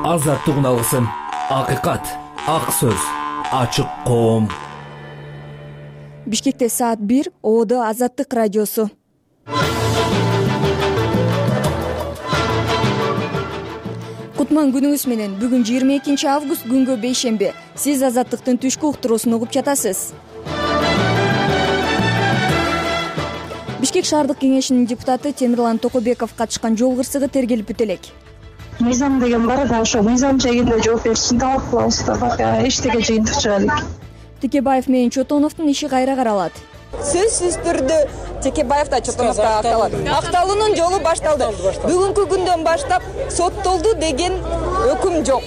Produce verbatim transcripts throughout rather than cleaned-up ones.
азаттык алгысын, акыйкат, ак сөз, ачык коом. Бишкекте саат бир, Ободо Азаттык радиосу. Кутман күнүңүз менен. Бүгүн жыйырма экинчи август, күнгө бейшемби. Сиз Азаттыктын түшкү уктуруусун угуп жатасыз. Бишкек шаардык кеңешинин депутаты Темирлан Токобеков катышкан жол кырсыгы тергелип бүтө элек. Мыйзам деген бар да, ошо мыйзам жайында жооп беришин талап кылабыз да, эчтеке жыйынтык чыга элек. Текебаев менен Чотоновдун иши кайра каралат. Сөзсүз түрдө Текебаев да Чотонов да акталат. Акталуунун жолу башталды. Бүгүнкү күндөн баштап соттолду деген өкүм жок.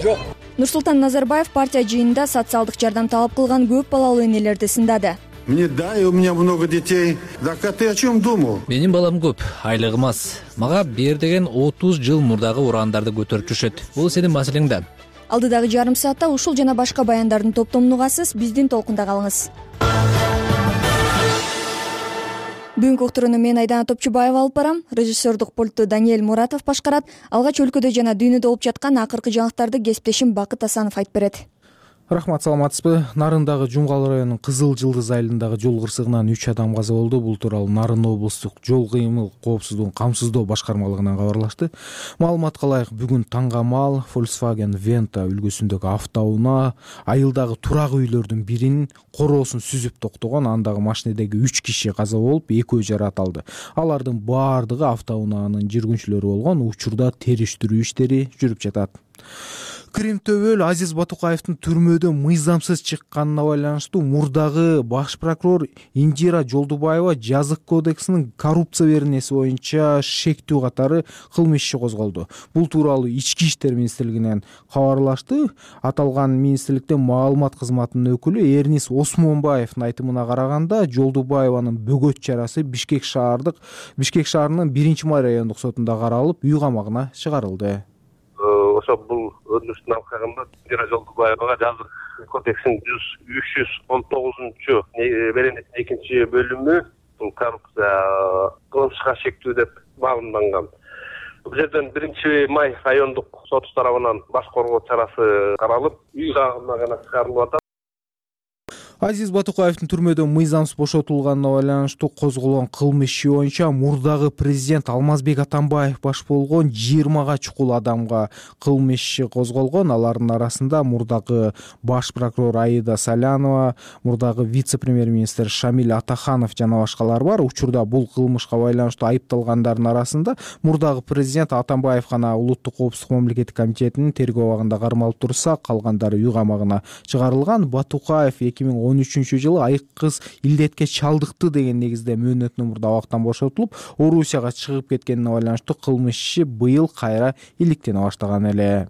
Нурсултан Назарбаев партия жыйынында социалдык жардам талап кылган көп балалуу энелерди сындады. Мне дай, у меня много детей. Так а ты о чем думал? Менин балам көп, айлыгым аз. Мага бер деген отуз жыл мурдагы урандарды көтөрүп жүрүшөт. Бул сенин маселең да. Алдыдагы жарым саатта ушул жана башка баяндардын топтомун угасыз, биздин толкунда калыңыз. Бүгүнкү уктурууну мен Айдана Топчубаева алып барам. Режиссердук пультту Даниэль Муратов башкарат. Алгач өлкөдө жана дүйнөдө болуп жаткан акыркы жаңылыктарды кесиптешим Бакыт Асанов айтып берет. Рахмат, саламатсызбы? Нарындагы Жумгал районунун Кызыл Жылдыз айылындагы жол кырсыгынан үч адам каза болду. Бул тууралуу Нарын облустук жол кыймыл коопсуздугун камсыздоо башкармалыгынан кабарлашты. Маалыматка ылайык, бүгүн таңгамал Volkswagen Venta үлгүсүндөгү автоунаа айылдагы турак үйлөрдүн биринин короосун сүзүп токтогон. Андагы машинедеги үч киши каза болуп, экөө жаракат алды. Алардын баардыгы автоунаанын жүргүнчүлөрү болгон. Учурда териштирүү иштери жүрүп жатат. Крим төбөл Азиз Батукаевдин түрмөдөн мыйзамсыз чыкканына байланыштуу мурдагы баш прокурор Индира Жолдубаева жазык кодексинин коррупция беренеси боюнча шектүү катары кылмыш иши козголду. Бул тууралуу Ички иштер министрлигинен кабарлашты. Аталган министрликтен маалымат кызматынын өкүлү Эрнис Осмонбаевдин айтымына караганда, Жолдубаеванын бөгөт чарасы Бишкек шаардык Бишкек шаарынын биринчи май райондук сотунда каралып, үй камагына чыгарылды. Ошо бул өтүнүштүн алкагында Индира Жолдубаевага жазык кодексинин жүз үч жүз он тогузунчу беренесинин экинчи бөлүмү бул коррупция кылмышка шектүү деп маалымданган. Бул жерден биринчи май райондук соту тарабынан баш коргоо чарасы каралып, үй камагына чыгарылып атат. Азиз Батукаевдин түрмөдөн мыйзамсыз бошотулганына байланыштуу козголгон кылмыш иши боюнча мурдагы президент Алмазбек Атамбаев баш болгон жыйырмага чукул адамга кылмыш иши козголгон. Алардын арасында мурдагы баш прокурор Аида Салянова, мурдагы вице-премьер-министр Шамиль Атаханов жана башкалар бар. Учурда бул кылмышка байланыштуу айыпталгандардын арасында мурдагы президент Атамбаев гана Улуттук коопсуздук мамлекеттик комитетинин тергөө абагында кармалып турса, калгандары үй камагына чыгарылган. Батукаев эки миң он үчүнчү жылы айыккыз илдетке чалдыкты деген негизде мөөнөтүнөн мурда абактан бошотулуп, Орусияга чыгып кеткенине байланыштуу кылмыш иши быйыл кайра иликтене баштаган эле.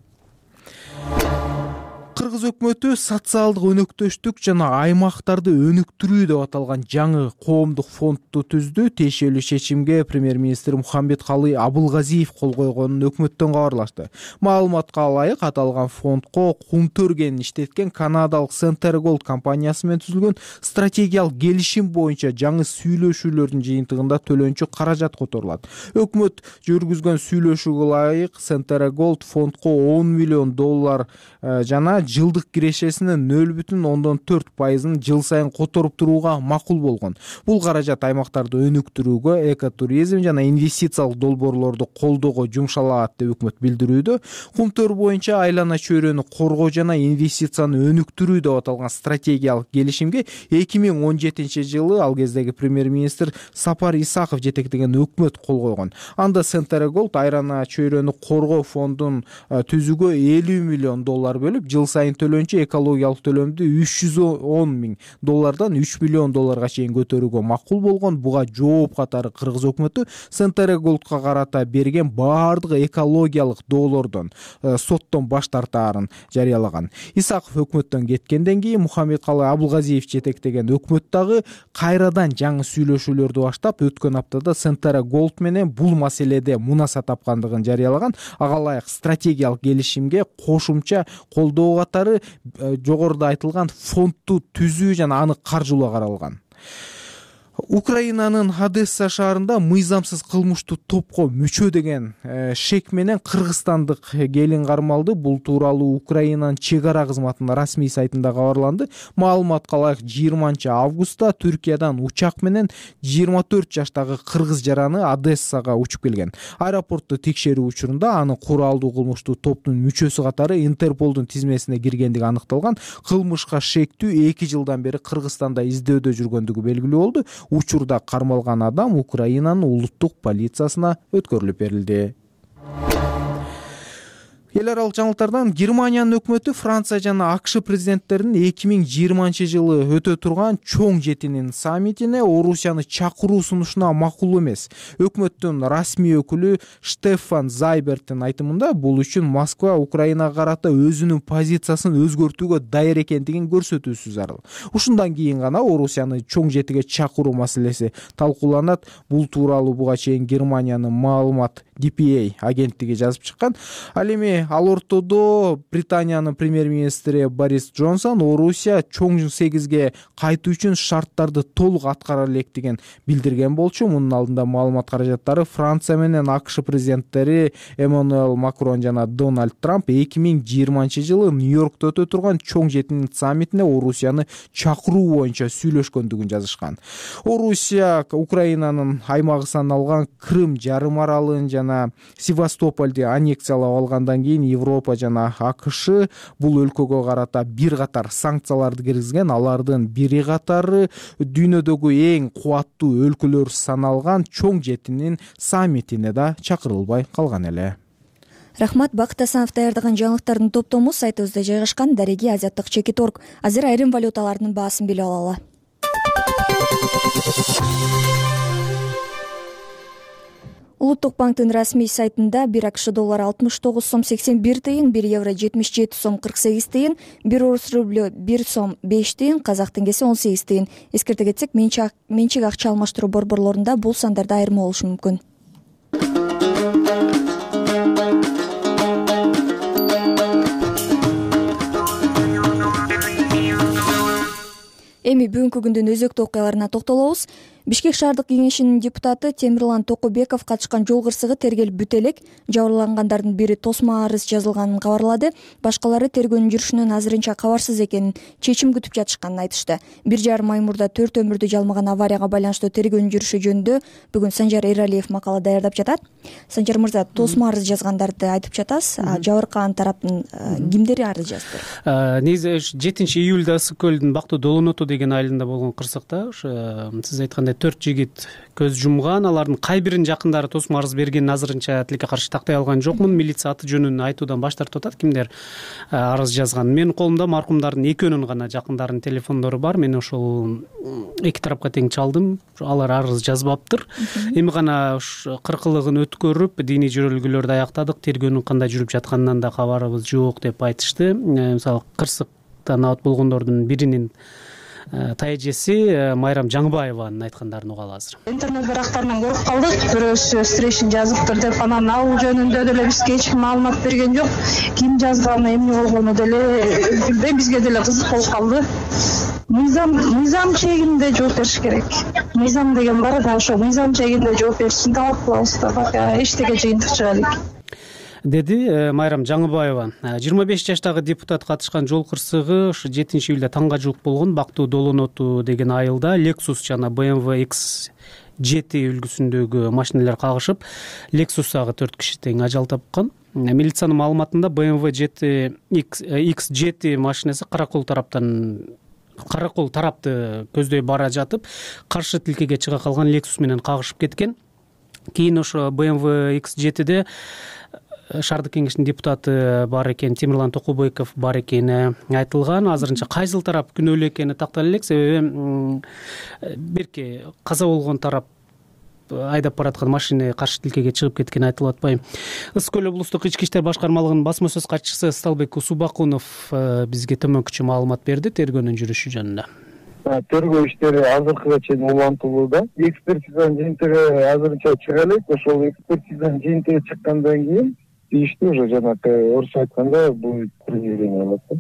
Кыргыз өкмөтү социалдык өнөктөштүк жана аймактарды өнүктүрүү деп аталган жаңы коомдук фондду түздү. Тиешелүү чечимге премьер-министр Мухаммедкалый Абылгазиев кол койгонун өкмөттөн кабарлашты. Маалыматка ылайык, аталган фондко Кумтөргенин иштеткен канадалык Center Gold компаниясы менен түзүлгөн стратегиялык келишим боюнча жаңы сүйлөшүүлөрдүн жыйынтыгында төлөнчү каражат которулат. Өкмөт жүргүзгөн сүйлөшүүгө ылайык Center Gold фондко он миллион доллар жана жылдык кирешесинин нөл бүтүн ондон төрт пайызын жыл сайын которуп турууга макул болгон. Бул каражат аймактарды өнүктүрүүгө, экотуризм жана инвестициялык долбоорлорду колдоого жумшалат деп өкмөт билдирүүдө. Кумтөр боюнча айлана чөйрөнү коргоо жана инвестицияны өнүктүрүү деп аталган стратегиялык келишимге эки миң он жетинчи жылы ал кездеги премьер-министр Сапар Исаков жетектеген өкмөт кол койгон. Анда Center Gold айлана чөйрөнү коргоо фондун түзүүгө элүү миллион доллар бөлүп, жыл сайын төлөнчү экологиялык төлөмдү үч жүз он миң доллардан үч миллион долларга чейин көтөрүүгө макул болгон. Буга жооп катары Кыргыз өкмөтү Center Gold'га карата берген баардык экологиялык доолордон соттон баш тартаарын жарыялаган. Исаков өкмөттөн кеткенден кийин Мухаммедкалый Абылгазиев жетектеген өкмөт дагы кайрадан жаңы сүйлөшүүлөрдү баштап, өткөн аптада Center Gold менен бул маселеде мунаса тапкандыгын жарыялаган. Ага ылайык стратегиялык келишимге кошумча колдоо катары жогоруда айтылган фондду түзүү жана аны каржылоо каралган. Украинанын Одесса шаарында мыйзамсыз кылмыштуу топко мүчө деген шек менен кыргызстандык келин кармалды. Бул тууралуу Украинанын чек ара кызматынын расмий сайтында кабарланды. Маалыматка ылайык жыйырманчы августта Түркиядан учак менен жыйырма төрт жаштагы кыргыз жараны Одессага учуп келген. Аэропортту текшерүү учурунда аны куралдуу кылмыштуу топтун мүчөсү катары Интерполдун тизмесине киргендиги аныкталган. Кылмышка шектүү эки жылдан бери Кыргызстанда издөөдө жүргөндүгү белгилүү болду. Учурда кармалган адам Украинанын улуттук полициясына өткөрүлүп берилди. Эл аралык жаңылыктардан Германиянын өкмөтү Франция жана АКШ президенттеринин эки миң жыйырманчы жылы өтө турган чоң жетинин саммитине Орусияны чакыруу сунушуна макул эмес. Өкмөттүн расмий өкүлү Штефан Зайберттин айтымында бул үчүн Москва Украинага карата өзүнүн позициясын өзгөртүүгө даяр экендигин көрсөтүүсү зарыл. Ушундан кийин гана Орусияны чоң жетиге чакыруу маселеси талкууланат. Бул тууралуу буга чейин Германиянын маалымат ди пи а агенттиги жазып чыккан. Ал эми ал ортодо Британиянын премьер-министри Борис Джонсон Орусия чоң сегизге кайтуу үчүн шарттарды толук аткара электигин билдирген болчу. Мунун алдында маалымат каражаттары Франция менен АКШ президенттери Эммануэль Макрон жана Дональд Трамп эки миң жыйырманчы жылы Нью-Йоркто өтө турган чоң жетинин саммитине Орусияны чакыруу боюнча сүйлөшкөндүгүн жазышкан. Орусия Украинанын аймагы саналган Крым жарым аралын жана Севастополду аннексиялап алгандан кийин Европа жана АКШ бул өлкөгө карата бир катар санкцияларды киргизген. Алардын бири катары дүйнөдөгү эң кубаттуу өлкөлөр саналган чоң жетинин саммитине да чакырылбай калган эле. Рахмат. Бакыт Асанов даярдаган жаңылыктардын топтому сайтыбызда жайгашкан. Дареги азияттык чекит точка орг. Азыр айрым валюталардын баасын билип алалы. Улуттук банктын расмий сайтында бир АКШ доллары алтымыш тогуз сом сексен бир тыйын, бир евро жетимиш жети сом кырк сегиз тыйын, бир орус рублю бир сом беш тыйын, казак теңгеси он сегиз тыйын. Эскерте кетсек, менчик акча алмаштыруу борборлорунда бул сандарда айырма болушу мүмкүн. Эми бүгүнкү күндүн өзөктүү окуяларына токтолобуз. Бишкек шаардык кеңешинин депутаты Темирлан Токобеков катышкан жол кырсыгы тергелип бүтө элек. Жабырлангандардын бири тосмо арыз жазылганын кабарлады. Башкалары тергөөнүн жүрүшүнөн азырынча кабарсыз экенин, чечим күтүп жатышканын айтышты. Бир жарым ай мурда төрт өмүрдү жалмаган аварияга байланыштуу тергөөнүн жүрүшү жөнүндө бүгүн Санжар Эралиев макала даярдап жатат. Санжар мырза, тосмо арыз жазгандарды айтып жатасыз. Жабыркаган тараптын кимдери арыз жазды? Негизи жетинчи июлда Ысык көлдүн Бактуу Долоноту деген айылында болгон кырсыкта сиз айткандай төрт жигит көз жумган. Алардын кай биринин жакындары тосмо арыз бергенин азырынча тилекке каршы тактай алган жокмун. Милиция аты жөнүн айтуудан баш тартып атат, кимдер арыз жазган. Менин колумда маркумдардын экөөнүн гана жакындарынын телефондору бар. Мен ошол эки тарапка тең чалдым. Алар арыз жазбаптыр. Эми гана кыркылыгын өткөрүп, диний жөрөлгөлөрдү аяктадык. Тергөөнүн кандай жүрүп жатканынан да кабарыбыз жок деп айтышты. Мисалы кырсыктан абат болгондордун биринин тайэжеси Майрам Жаңыбаеванын айткандарын угалы азыр. Интернет барактарынан көрүп калдык. Бирөөсү встреча жазыптыр деп, анан ал жөнүндө деле бизге эч ким маалымат берген жок. Ким жазганы, эмне болгону деле билбейм, бизге деле кызык болуп калды. Мыйзам мыйзам чегинде жооп бериш керек. Мыйзам деген бар да, ошо мыйзам чегинде жооп беришин талап кылабыз да. Бака эчтеке жыйынтык чыга элек, деди Майрам Жаңыбаева. жыйырма беш жаштагы депутат катышкан жол кырсыгы ушу жетинчи июлда таңга жуук болгон. Бактуу Долоноту деген айылда Lexus жана бэ эм вэ икс жети үлгүсүндөгү машиналар кагышып, Lexus агы төрт киши тең ажал тапкан. Милициянын маалыматында бэ эм вэ жети икс жети машинасы Каракол тараптан Каракол тарапты көздөй бара жатып, каршы тилкеге чыга калган Lexus менен кагышып кеткен. Кийин ошо бэ эм вэ икс жетиде шаардык кеңештин депутаты бар экен, Темирлан Токобеков бар экени айтылган. Азырынча кайсыл тарап күнөөлүү экени тактала элек, себеби берки каза болгон тарап айдап бараткан машина каршы тилкеге чыгып кеткени айтылып атпайбы. Ысык көл облустук ички иштер башкармалыгынын басма сөз катчысы Сталбек Усубакунов бизге төмөнкүчө маалымат берди тергөөнүн жүрүшү жөнүндө. Тергөө иштери азыркыга чейин улантылууда. Экспертизанын жыйынтыгы азырынча чыга элек. Ошол экспертизанын жыйынтыгы чыккандан кийин дейишти. Уже жанагы орусча айтканда будет принижение болот да.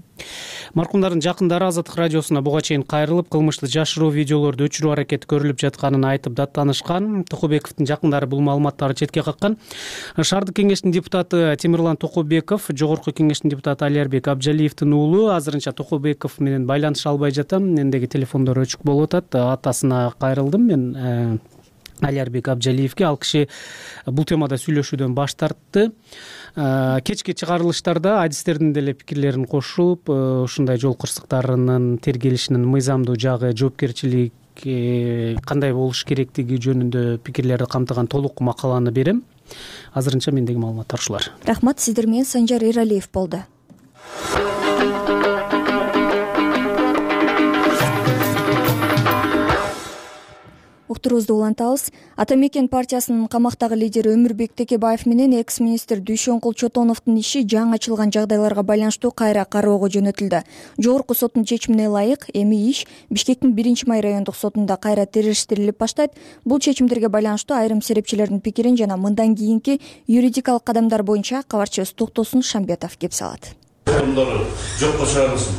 Маркумдардын жакындары Азаттык радиосуна буга чейин кайрылып, кылмышты жашыруу видеолорду өчүрүү аракети көрүлүп жатканын айтып даттанышкан. Токобековдун жакындары бул маалыматтарды четке каккан. Шаардык кеңештин депутаты Темирлан Токобеков, Жогорку кеңештин депутаты Алиярбек Абжалиевдин уулу азырынча Токобеков менен байланыша албай жатам. Мендеги телефондор өчүк болуп атат. Атасына кайрылдым мен, Алиярбек Абжалиевге. Ал киши бул темада сүйлөшүүдөн баш тартты. Кечки чыгарылыштарда адистердин деле пикирлерин кошуп, ушундай жол кырсыктарынын тергелишинин мыйзамдуу жагы, жоопкерчилик кандай болуш керектиги жөнүндө пикирлерди камтыган толук макаланы берем. Азырынча мендеги маалыматтар ушулар. Рахмат, сиздер менен Санжар Эралиев болду. Уктуруубузду улантабыз. Ата Мекен партиясынын камактагы лидери Өмүрбек Текебаев менен экс-министр Дүйшөнкул Чотоновдун иши жаңы ачылган жагдайларга байланыштуу кайра кароого жөнөтүлдү. Жогорку соттун чечимине ылайык эми иш Бишкектин биринчи май райондук сотунда кайра териштирилип баштайт. Бул чечимдерге байланыштуу айрым серепчилердин пикирин жана мындан кийинки юридикалык кадамдар боюнча кабарчыбыз Токтосун Шамбетов кеп салат. Жокко чыгарылсын.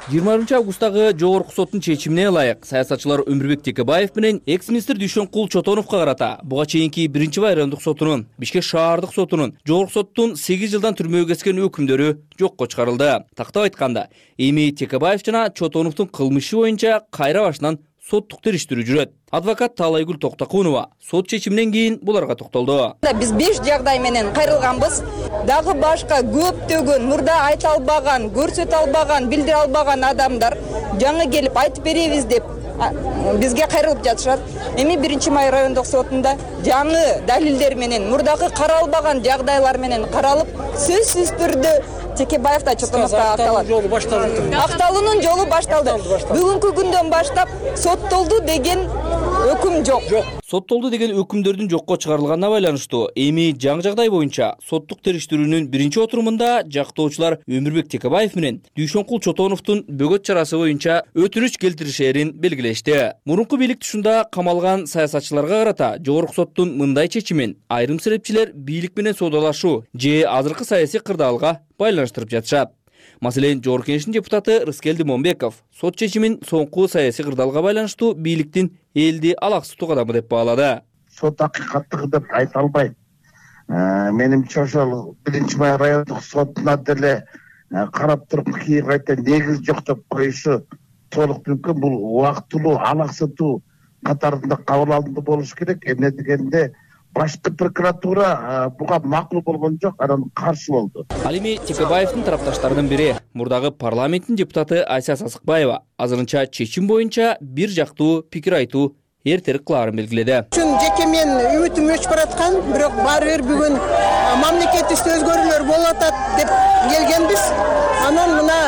жыйырманчы августтагы Жогорку соттун чечимине ылайык саясатчылар Өмүрбек Текебаев менен экс-министр Дүйшөнкул Чотоновго карата буга чейинки биринчи май райондук сотунун, Бишкек шаардык сотунун, Жогорку соттун сегиз жылдан түрмөгө кескен өкүмдөрү жокко чыгарылды. Тактап айтканда, эми Текебаев жана Чотоновдун кылмышы боюнча кайра башынан соттук териштирүү жүрөт. Адвокат Таалайгүл Токтокунова сот чечиминен кийин буларга токтолду. Биз беш жагдай менен кайрылганбыз. Дагы башка көптөгөн мурда айта албаган, көрсөтө албаган, билдире албаган адамдар жаңы келип айтып беребиз деп бизге кайрылып жатышат. Эми биринчи май райондук сотунда жаңы далилдер менен, мурдагы каралбаган жагдайлар менен каралып, сөзсүз түрдө Текебаев да Чотоновго акталат. Акталуунун жолу башталды. Бүгүнкү күндөн баштап соттолду деген өкүм жок. Соттолду деген өкүмдөрдүн жокко чыгарылганына байланыштуу эми жаңы жагдай боюнча соттук териштирүүнүн биринчи отурумунда жактоочулар Өмүрбек Текебаев менен Дүйшөнкул Чотоновдун бөгөт чарасы боюнча өтүнүч келтиришерин белгилешти. Мурунку бийлик тушунда камалган саясатчыларга карата Жогорку соттун мындай чечимин айрым серепчилер бийлик менен соодалашуу же азыркы саясий кырдаалга байланыштырып жатышат. Маселен, Жогорку кеңештин депутаты Рыскелди Момбеков сот чечимин соңку саясий кырдаалга байланыштуу бийликтин элди алаксытуу кадамы деп баалады. Сот акыйкаттыгы деп айта албайм. Менимче ошол биринчи май райондук сотуна деле карап туруп кийин кайта негиз жок деп коюшу толук мүмкүн. Бул убактылуу алаксытуу катарында кабыл алынды болуш керек. Эмне дегенде башкы прокуратура буга макул болгон жок, анан каршы болду. Ал эми Текебаевдин тарапташтарынын бири мурдагы парламенттин депутаты Айса Сасыкбаева азырынча чечим боюнча бир жактуу пикир айтуу эртерээк кылаарын белгиледи. Чын жеке мен үмүтүм өчүп бараткан, бирок баары бир бүгүн мамлекетибизде өзгөрүүлөр болуп атат деп келгенбиз. Анан мына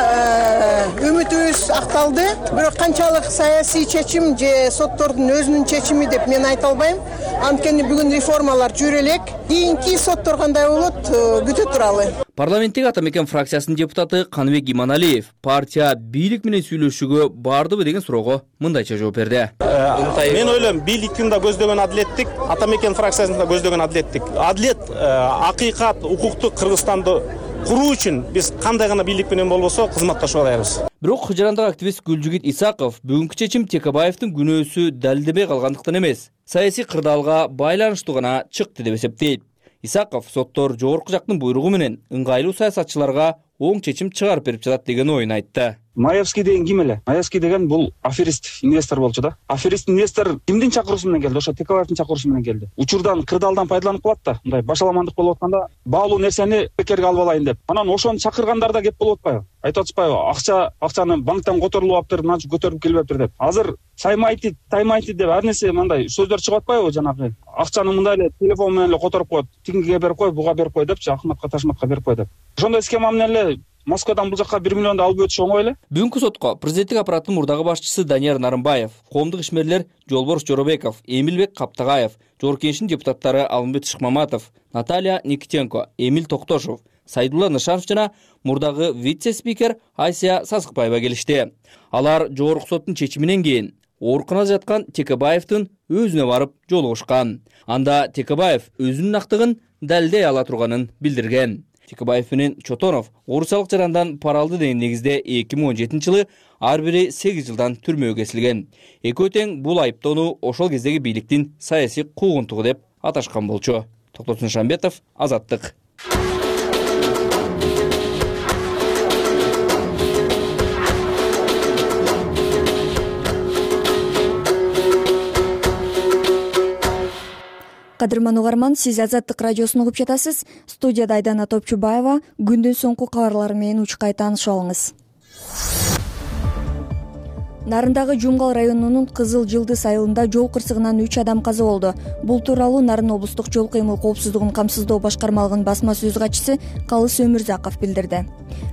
үмүтүбүз акталды. Бирок канчалык саясий чечим же соттордун өзүнүн чечими деп мен айта албайм. Анткени бүгүн реформалар жүрө элек. Кийинки соттор кандай болот күтө туралы. Парламенттеги Ата Мекен фракциясынын депутаты Каныбек Иманалиев партия бийлик менен сүйлөшүүгө бардыбы деген суроого мындайча жооп берди. Мен ойлойм, бийликтин да көздөгөн адилеттик, Ата Мекен фракциясынын да көздөгөн адилеттик. Адилет, акыйкат, укуктук Кыргызстанды куруу үчүн биз кандай гана бийлик менен болбосо кызматташып алабыз. Бирок Кыжырандагы активист Гүлжигит Исаков бүгүнкү чечим Текебаевдин күнөөсү далилдебей калгандыктан эмес, саясий кырдаалга байланыштуу гана чыкты деп эсептейт. Исаков соттор жогорку жактын буйругу менен ыңгайлуу саясатчыларга оң чечим чыгарып берип жатат деген оюн айтты. Маевский деген ким эле? Маевский деген бул аферист, инвестор болчу да. Аферист инвестор кимдин чакыруусу менен келди? Ошо Текебаевдин чакыруусу менен келди. Учурдан, кырдаалдан пайдаланып калат да. Мындай башаламандык болуп атканда, баалуу нерсени бекерге алып алайын деп. Анан ошону чакыргандарда кеп болуп атпайбы? Айтып атышпайбы? Акча, акчаны банктан которулуп алыптыр, мынча көтөрүп келбептир деп. Азыр саймайты, таймайты деп ар нерсе мындай сөздөр чыгып атпайбы жанагы? Акчаны мындай эле телефон менен эле которуп коет. Тигиге берип кой, буга берип кой депчи, Ахматка, Ташматка берип кой деп. Ошондой схема менен эле Москвадан бул жакка бир миллионду алып өтүш оңой эле. Бүгүнкү сотко президенттик аппараттын мурдагы башчысы Данияр Нарымбаев, коомдук ишмерлер Жолборс Жоробеков, Эмилбек Каптагаев, Жогорку кеңештин депутаттары Алымбет Шыкмаматов, Наталья Никитенко, Эмил Токтошов, Сайдулла Нышанов жана мурдагы вице-спикер Айса Сасыкбаева келишти. Алар Жогорку соттун чечиминен кийин ооруканада жаткан Текебаевдин өзүнө барып жолугушкан. Анда Текебаев өзүнүн актыгын далилдей ала турганын билдирген. Текебаев менен Чотонов орусиялык жарандан пара алды деген негизде эки миң он жетинчи жылы ар бири сегиз жылдан түрмөгө кесилген. Экөө тең бул айыптоону ошол кездеги бийликтин саясий куугунтугу деп аташкан болчу. Токтосун Шамбетов, Азаттык. Кадырман угарман, сиз Азаттык радиосун угуп жатасыз. Студияда Айдана Топчубаева. Күндүн соңку кабарлары менен учкай таанышып алыңыз. Нарындагы Жумгал районунун Кызыл Жылдыз айылында жол кырсыгынан үч адам каза болду. Бул тууралуу Нарын облустук жол кыймыл коопсуздугун камсыздоо башкармалыгынын басма сөз катчысы Калыс Өмүрзаков билдирди.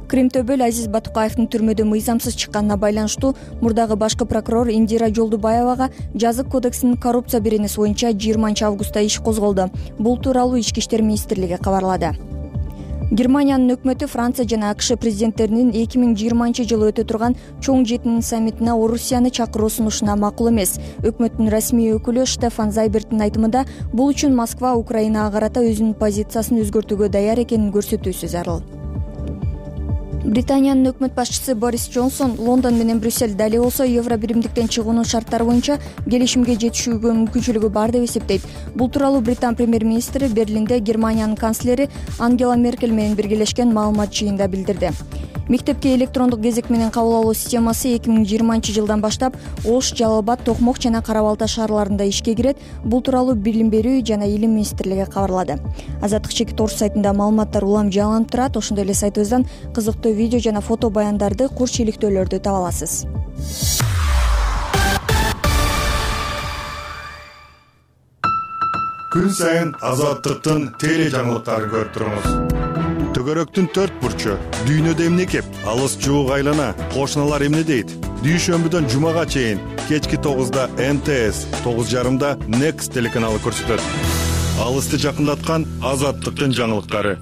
Кримтөбөл Азиз Батукаевдин түрмөдөн мыйзамсыз чыкканына байланыштуу мурдагы башкы прокурор Индира Жолдубаевага жазык кодексинин коррупция беренеси боюнча жыйырманчы августта иш козголду. Бул тууралуу Ички иштер министрлиги кабарлады. Германиянын өкмөтү Франция жана АКШ президенттеринин эки миң жыйырманчы жылы өтө турган чоң жетинин саммитине Орусияны чакыруу сунушуна макул эмес. Өкмөттүн расмий өкүлү Штефан Зайберттин айтымында бул үчүн Москва Украинага карата өзүнүн позициясын өзгөртүүгө даяр экенин көрсөтүүсү зарыл. Британиянын өкмөт башчысы Борис Джонсон Лондон менен Брюссель дали болсо евро биримдиктен чыгуунун шарттары боюнча келишимге жетишүүгө мүмкүнчүлүгү бар деп эсептейт. Бул тууралуу Британ премьер-министри Берлинде Германиянын канцлери Ангела Меркель менен биргелешкен маалымат жыйынында билдирди. Мектепке электрондук кезек менен кабыл алуу системасы эки миң жыйырманчы жылдан баштап Ош, Жалал Абад, Токмок жана Кара Балта шаарларында ишке кирет. Бул тууралуу Билим берүү жана Илим министрлиги кабарлады. Азаттык чекит орус сайтында маалыматтар улам жаңыланып турат. Ошондой эле сайтыбыздан кызыктуу видео жана фото баяндарды, курч иликтөөлөрдү таба аласыз. Күн сайын Азаттыктын теле жаңылыктарын көрүп туруңуз. Төгөрөктүн төрт бурчу, дүйнөдө эмне кеп, алыс жуук айлана, кошуналар эмне дейт? Дүйшөмбүдөн жумага чейин кечки тогузда Н Т С, тогуз жарымда Next телеканалы көрсөтөт. Алысты жакындаткан Азаттыктын жаңылыктары.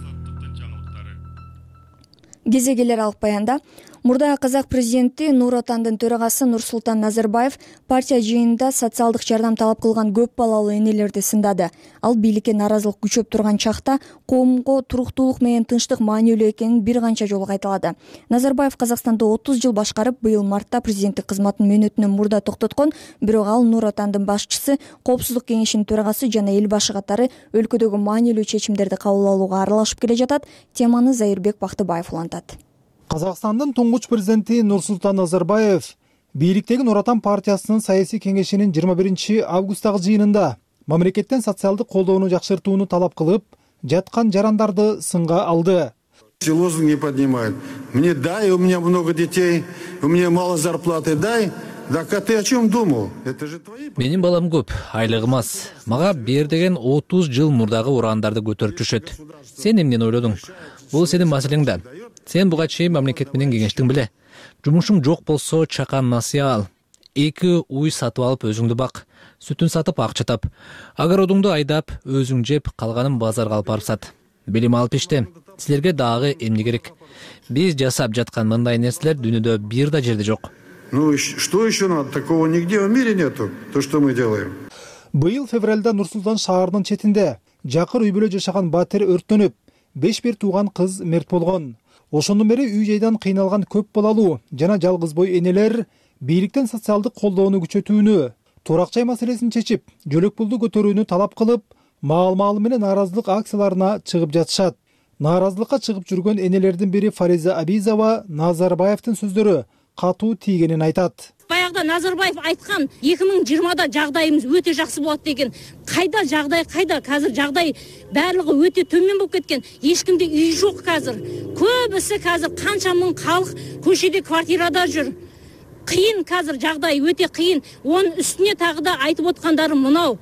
Кезегелер алып баянда мурда казак президенти Нур Отандын төрагасы Нурсултан Назарбаев партия жыйынында социалдык жардам талап кылган көп балалуу энелерди сындады. Ал бийликке нааразылык күчөп турган чакта коомго туруктуулук менен тынчтык маанилүү экенин бир канча жолу кайталады. Назарбаев Казакстанды отуз жыл башкарып, быйыл мартта президенттик кызматын мөөнөтүнөн мурда токтоткон, бирок ал Нур Отандын башчысы, Коопсуздук кеңешинин төрагасы жана эл башы катары өлкөдөгү маанилүү чечимдерди кабыл алууга аралашып келе жатат. Теманы Зайырбек Бактыбаев улантат. Казакстандын туңгуч президенти Нурсултан Назарбаев бийликтеги Нур Отан партиясынын саясий кеңешинин жыйырма биринчи августтагы жыйынында мамлекеттен социалдык колдоону жакшыртууну талап кылып, жаткан жарандарды сынга алды. Лозунг не поднимает. Мне дай, у меня много детей, у меня мало зарплаты, дай. Так а ты о чем думал? Это же твои... Менин балам көп, айлыгым аз. Мага бер деген отуз жыл мурдагы урандарды көтөрүп жүрүшөт. Сен эмнени ойлодуң? Бул сенин маселең да. Сен буга чейин мамлекет менен кеңештиң беле. Жумушуң жок болсо чакан насыя ал. Эки уй сатып алып өзүңдү бак. Сүтүн сатып акча тап. Огородуңду айдап, өзүң жеп, калганын базарга алып барып сат. Билим алып иште. Силерге дагы эмне керек? Биз жасап жаткан мындай нерселер дүйнөдө бир да жерде жок. Ну что еще надо? Такого нигде в мире нету. То, что мы делаем. Быйыл февралда Нур-Султан шаарынын четинде жакыр үй бүлө жашаган батир өрттөнүп, беш бир тууган кыз мерт болгон. Ошондон бери үй жайдан кыйналган көп балалуу жана жалгыз бой энелер бийликтен социалдык колдоону күчөтүүнү, турак жай маселесин чечип, жөлөк пулду көтөрүүнү талап кылып, маал-маалы менен нааразылык акцияларына чыгып жатышат. Нааразылыкка чыгып жүргөн энелердин бири Фариза Абизова Назарбаевдин сөздөрү катуу тийгенин айтат. Баягыда Назарбаев айткан эки миң жыйырмада жагдайыбыз өтө жакшы болот деген. Кайда жагдай, кайда? Азыр жагдай баардыгы өтө төмөн болуп кеткен. Эч кимде үй жок азыр. Көбүсү азыр канча миң калк көчөдө квартирада жүр. Кыйын азыр жагдай өтө кыйын. Онун үстүнө тагы да айтып аткандарым мынау.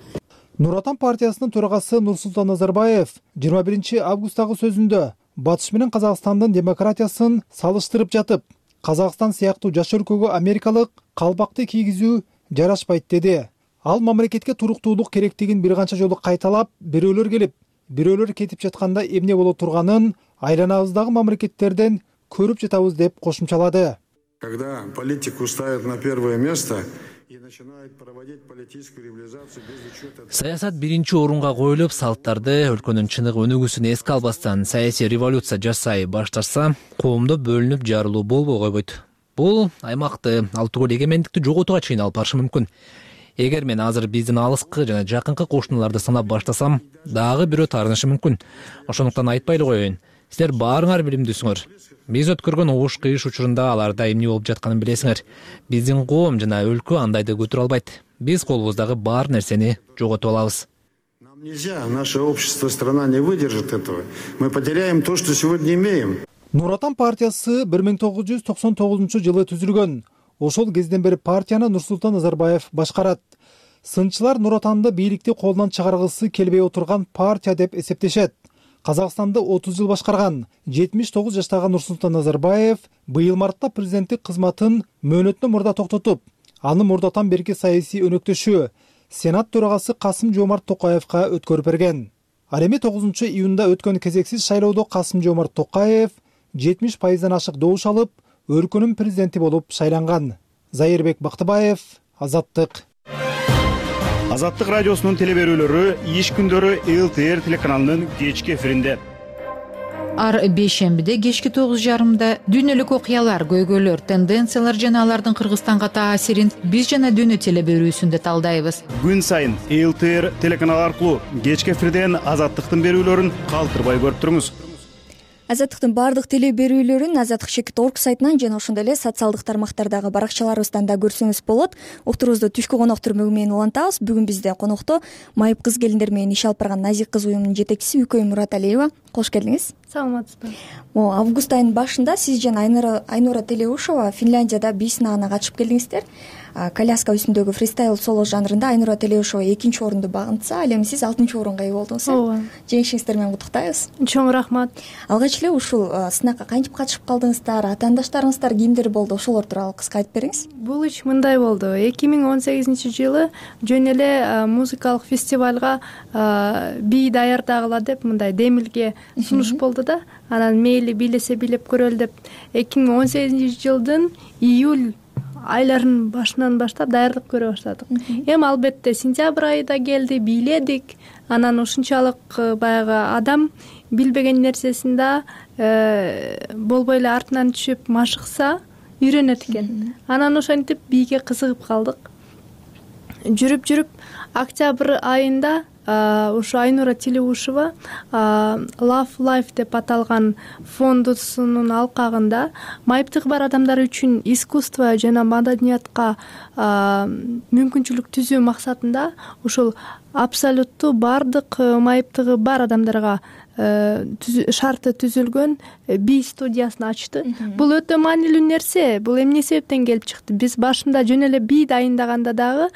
Нур Отан партиясынын төрагасы Нурсултан Назарбаев жыйырма биринчи августтагы сөзүндө Батыш менен Казакстандын демократиясын салыштырып жатып, Казакстан сыяктуу жаш өлкөгө америкалык калпакты кийгизүү жарашпайт деди. Ал мамлекетке туруктуулук керектигин бир канча жолу кайталап, бирөөлөр келип, бирөөлөр кетип жатканда эмне боло турганын айланабыздагы мамлекеттерден көрүп жатабыз деп кошумчалады. Когда политику ставят на первое место, саясат биринчи орунга коюлуп, салттарды, өлкөнүн чыныгы өнүгүүсүн эске албастан саясий революция жасай башташса, коомдо бөлүнүп жарылуу болбой койбойт. Бул аймакты, ал түгүл эгемендикти жоготууга чейин алып барышы мүмкүн. Эгер мен азыр биздин алыскы жана жакынкы кошуналарды санап баштасам, дагы бирөө таарынышы мүмкүн. Ошондуктан айтпай эле коеюн. Силер баарыңар билимдүүсүңөр. Биз өткөргөн угуш кыйыш учурунда аларда эмне болуп жатканын билесиңер. Биздин коом жана өлкө андайды көтөрө албайт. Биз колубуздагы бар нерсени жоготуп алабыз. Нам нельзя, наше общество, страна не выдержит этого. Мы потеряем то, что сегодня имеем. Нур Отан партиясы бир миң тогуз жүз токсон тогузунчу жылы түзүлгөн. Ошол кезден бери партияны Нурсултан Назарбаев башкарат. Сынчылар Нур Отанды бийликти колунан чыгаргысы келбей отурган партия деп эсептешет. Казакстанды отуз жыл башкарган жетимиш тогуз жаштагы Нурсултан Назарбаев быйыл мартта президенттик кызматын мөөнөтүнөн мурда токтотуп, аны мурдатан берки саясий өнөктөшү Сенат төрагасы Касым-Жомарт Токаевка өткөрүп берген. Ал эми тогузунчу июнда өткөн кезексиз шайлоодо Касым-Жомарт Токаев жетимиш пайыздан ашык добуш алып, өлкөнүн президенти болуп шайланган. Зайырбек Бактыбаев, Азаттык. Азаттык радиосунун телеберүүлөрү иш күндөрү эл тэ эр телеканалынын кечки эфиринде. Ар бейшембиде кечки тогуз жарымда дүйнөлүк окуялар, көйгөйлөр, тенденциялар жана алардын Кыргызстанга таасирин биз жана дүйнө телеберүүсүндө талдайбыз. Күн сайын эл тэ эр телеканалы аркылуу кечки эфирден Азаттыктын берүүлөрүн калтырбай көрүп туруңуз. Азаттыктын баардык телеберүүлөрүн азаттык чекит орг сайтынан жана ошондой эле социалдык тармактардагы баракчаларыбыздан да көрсөңүз болот. Уктурубузду түшкү коноктор мөгү менен улантабыз. Бүгүн бизде конокто майып кыз келиндер менен иш алып барган Назик кыз уюмунун жетекчиси Үкөй Мураталиева. Кош келдиңиз. Саламатсызбы. Могу август айынын башында сиз жана Айнура Телеушова Финляндияда бий сынагына катышып келдиңиздер. Коляска үстүндөгү фристайл соло жанрында Айнура Телеушова экинчи орунду багынтса, ал эми сиз алтынчы орунга ээ болдуңуз. Ооба. Жеңишиңиздер менен куттуктайбыз. Чоң рахмат. Алгач эле ушул сынакка кантип катышып калдыңыздар, атаандаштарыңыздар кимдер болду, ошолор тууралуу кыска айтып бериңиз. Бул иш мындай болду. эки миң он сегизинчи жылы жөн эле музыкалык фестивалга бий даярдагыла деп мындай демилге сунуш болду да. Анан мейли бийлесе бийлеп көрөлү деп эки миң он сегизинчи жылдын июль айларынын башынан баштап даярдык көрө баштадык. Эми албетте сентябрь айында келди, бийледик. Анан ушунчалык баягы адам билбеген нерсесин да болбой эле артынан түшүп машыкса үйрөнөт экен. Анан ошентип бийге кызыгып калдык. Жүрүп жүрүп октябрь айында ушу Айнура Телеушова Love Life деп аталган фондусунун алкагында майыптыгы бар адамдар үчүн искусство жана маданиятка мүмкүнчүлүк түзүү максатында ушул абсолюттуу бардык майыптыгы бар адамдарга шарты түзүлгөн бий студиясын ачты. Бул өтө маанилүү нерсе. Бул эмне себептен келип чыкты? Биз башында жөн эле бий дайындаганда дагы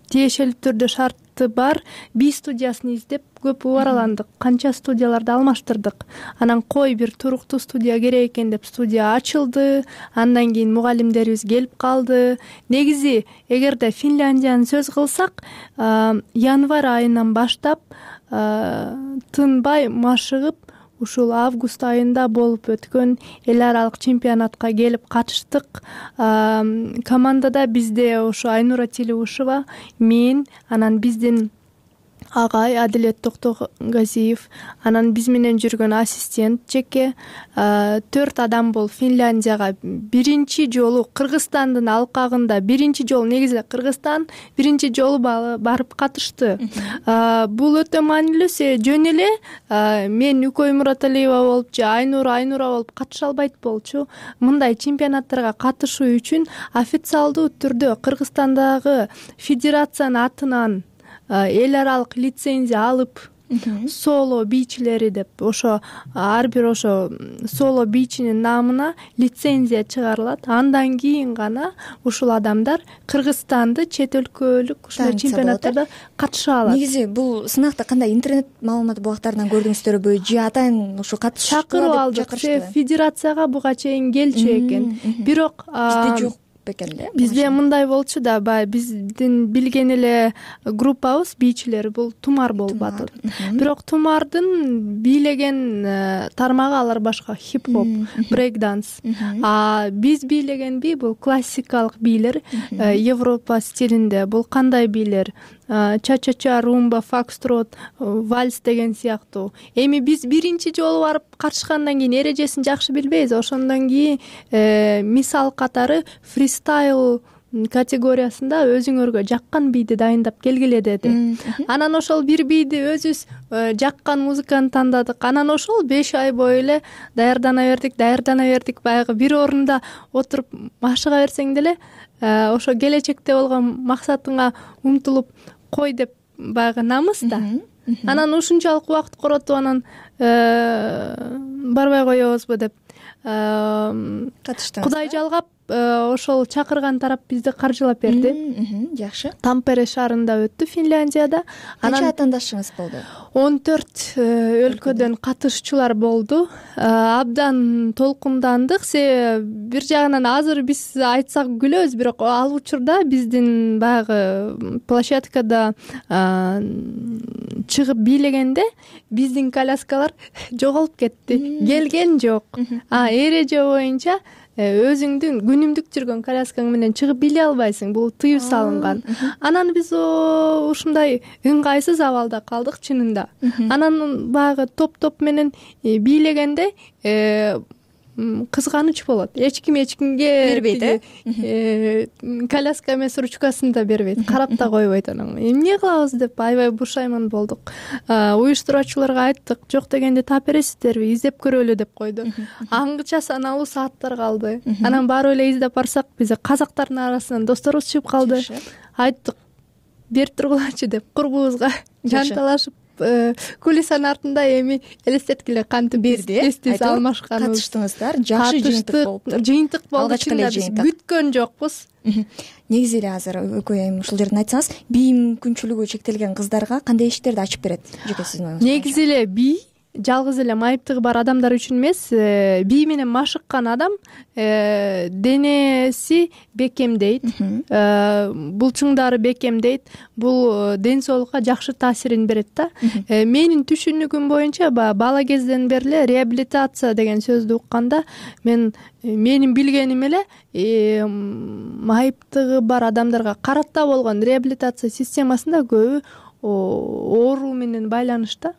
тиешелүү түрдө шарты бар бий студиясын издеп көп убараландык. Канча студияларды алмаштырдык. Анан кой бир туруктуу студия керек экен деп студия ачылды. Андан кийин мугалимдерибиз келип калды. Негизи эгерде Финляндияны сөз кылсак, январь айынан баштап тынбай машыгып ушул август айында болуп өткөн эл аралык чемпионатка келип катыштык. Командада бизде ошо Айнура Телеушова, мен, анан биздин агай Адилет Токтогазиев, анан биз менен жүргөн ассистент Жеке, төрт адам бол Финляндияга биринчи жолу Кыргызстандын алкагында биринчи жолу негизи Кыргызстан биринчи жолу барып катышты. Бул өтө маанилүү. Жөн эле мен Үкөй Мураталиева болуп же Айнура Айнура болуп катыша албайт болчу. Мындай чемпионаттарга катышуу үчүн официалдуу түрдө Кыргызстандагы федерациянын атынан эл аралык лицензия алып, соло бийчилери деп ошо ар бир ошо соло бийчинин намына лицензия чыгарылат. Андан кийин гана ушул адамдар Кыргызстанды чет өлкөлүк ушул чемпионаттарда катыша алат. Негизи бул сынакта кандай интернет маалымат булактарынан көрдүңүздөрбү же атайын ушу катышкыла чакырып алдык. Федерацияга буга чейин келчү экен. Бирок бизде жок. бекен эле? Бизде мындай болчу да, баягы биздин билген эле группабыз бийчилер бул тумар болуп атат. Бирок тумардын бийлеген тармагы алар башка, хип-хоп, брейк-данс. А биз бийлеген бий бул классикалык бийлер, Европа стилинде. Бул кандай бийлер? Ча-ча-ча, румба, фокстрот, вальс деген сыяктуу. Эми биз биринчи жолу барып катышкандан кийин эрежесин жакшы билбейбиз. Ошондон кийин мисал катары фристайл категориясында өзүңөргө жаккан бийди дайындап келгиле деди. Анан ошол бир бийди өзүбүз жаккан музыканы тандадык. Анан ошол беш ай бою эле даярдана бердик, даярдана бердик. Баягы бир орунда отуруп машыга берсең деле ошо келечекте болгон максатыңа умтулуп кой деп баягы намыс да. Анан ушунчалык убакыт коротуп анан барбай коебузбу деп катыштыңыз. Кудай жалгап ошол чакырган тарап бизди каржылап берди. Жакшы. Тампере шаарында өттү, Финляндияда. Канча атаандашыңыз болду? он төрт өлкөдөн катышуучулар болду. Абдан толкундандык. Себеби бир жагынан азыр биз айтсак күлөбүз, бирок ал учурда биздин баягы площадкада чыгып бийлегенде биздин коляскалар жоголуп кетти. Келген жок. А эреже боюнча өзүңдүн күнүмдүк жүргөн коляскаң менен чыгып бийлей албайсың. Бул тыюу салынган. Анан биз ушундай ыңгайсыз абалда калдык чынында. Анан баягы топ-топ менен бийлегенде кызганыч болот. Эч ким эч кимге бербейт, э? Коляска эмес, ручкасын да бербейт, карап да койбойт. Анан эмне кылабыз деп аябай бушайман болдук. Уюштуруучуларга айттык, жок дегенде таап бересиздерби, издеп көрөлү деп койду. Аңгыча саналуу сааттар калды. Анан барып эле издеп барсак, биз казактардын арасынан досторубуз чыгып калды. Айттык, берип тургулачы деп курбубузга жанталашып кулисанын артында эми элестеткиле кантип берди, тез алмашканыбыз. Катыштыңыздар, жакшы жыйынтык болуптур. Жыйынтык болду, чынында биз күткөн жокпуз. Негизи эле азыр экөө эми ушул жерден айтсаңыз, бий мүмкүнчүлүгү чектелген кыздарга кандай иштерди ачып берет? Жеке сиздин оюңуз. Негизи эле бий жалгыз эле майыптыгы бар адамдар үчүн эмес, бий менен машыккан адам денеси бекемдейт, булчуңдары бекемдейт, бул ден соолукка жакшы таасирин берет да. Менин түшүнүгүм боюнча бала кезден бери эле реабилитация деген сөздү укканда мен менин билгеним эле майыптыгы бар адамдарга карата болгон реабилитация системасында көбү ооруу менен байланышта.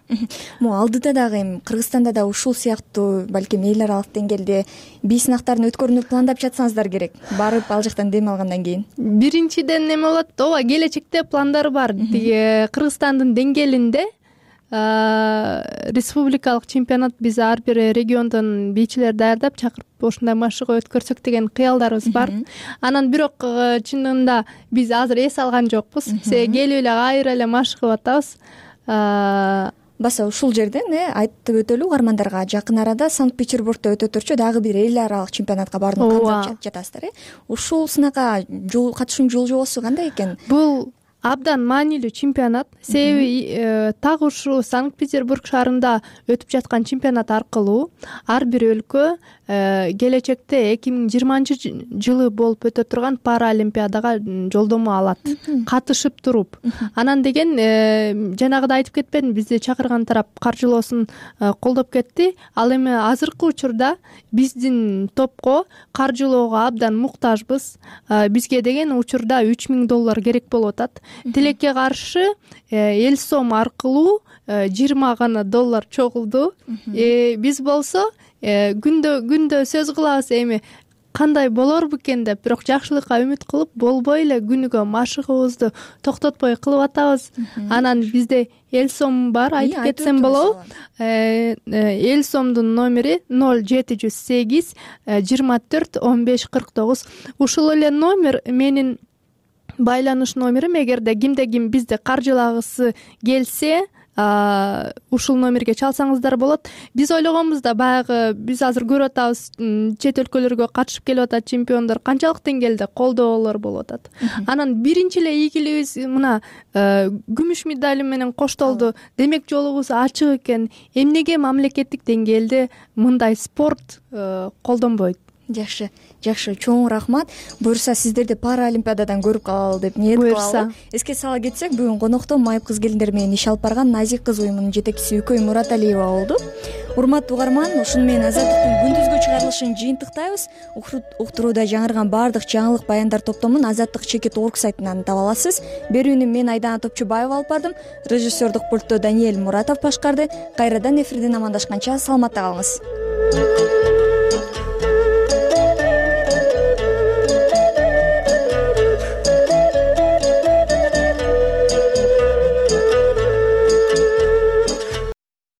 Могу алдыда дагы эми Кыргызстанда да ушул сыяктуу балким эл аралык деңгээлде бий сынактарын өткөрүүнү пландап жатсаңыздар керек. Барып ал жактан дем алгандан кийин. Биринчиден неме болот? Ооба, келечекте пландар бар. Кыргызстандын деңгээлинде республикалык чемпионат биз ар бир региондон бийчилер даярдап чакырып ошондой машыга өткөрсөк деген кыялдарыбыз бар. Анан бирок чынында биз азыр эс алган жокпуз. Себеби келип эле кайра эле машыгып атабыз. Баса ушул жерден айтып өтөлү угармандарга, жакын арада Санкт-Петербургда өтө турчу дагы бир эл аралык чемпионатка баарууну кандап жатасыздар, э? Ушул сынакка жол катышуунун жол жобосу кандай экен? Бул абдан маанилүү чемпионат. Себеби так ушу Санкт-Петербург шаарында өтүп жаткан чемпионат аркылуу ар бир өлкө келечекте эки миң жыйырманчы жылы болуп өтө турган Паралимпиадага жолдомо алат, катышып туруп. Анан деген жанагыда айтып кетпедимби, бизди чакырган тарап каржылоосун колдоп кетти. Ал эми азыркы учурда биздин топко каржылоого абдан муктажбыз. Бизге деген учурда үч миң доллар керек болуп атат. Тилекке каршы эл сом аркылуу жыйырма гана доллар чогулду. Биз болсо күндө күндө сөз кылабыз, эми кандай болор бекен деп, бирок жакшылыкка үмүт кылып болбой эле күнүгө машыгыбызды токтотпой кылып атабыз. Анан бизде эл сом бар, айтып кетсем болобу? Эл сомдун номери ноль жети жүз сегиз жыйырма төрт он беш кырк тогуз. Ушул эле номер менин байланыш номерим. Эгерде кимде ким бизди каржылагысы келсе, ушул номерге чалсаңыздар болот. Биз ойлогонбуз да, баягы биз азыр көрүп атабыз, чет өлкөлөргө катышып келип атат чемпиондор, канчалык деңгээлде колдоолор болуп атат. Анан биринчи эле ийгилигибиз мына күмүш медаль менен коштолду. Демек жолубуз ачык экен. Эмнеге мамлекеттик деңгээлде мындай спорт колдонбойт? жакшы жакшы чоң рахмат. Буюрса сиздерди Паралимпиададан көрүп калалы деп ниет кылалы. Эске сала кетсек, бүгүн конокто майып кыз келиндер менен иш алып барган Назик кыз уюмунун жетекчиси Үкөй Мураталиева болду. Урматтуу угарман, ушуну менен Азаттыктын күндүзгү чыгарылышын жыйынтыктайбыз. Уктурууда жаңырган баардык жаңылык баяндар топтомун Азаттык чекит орг сайтынан таба аласыз. Берүүнү мен Айдана Топчубаева алып бардым. Режиссердук пультту Даниэль Муратов башкарды. Кайрадан эфирден амандашканча саламатта калыңыз.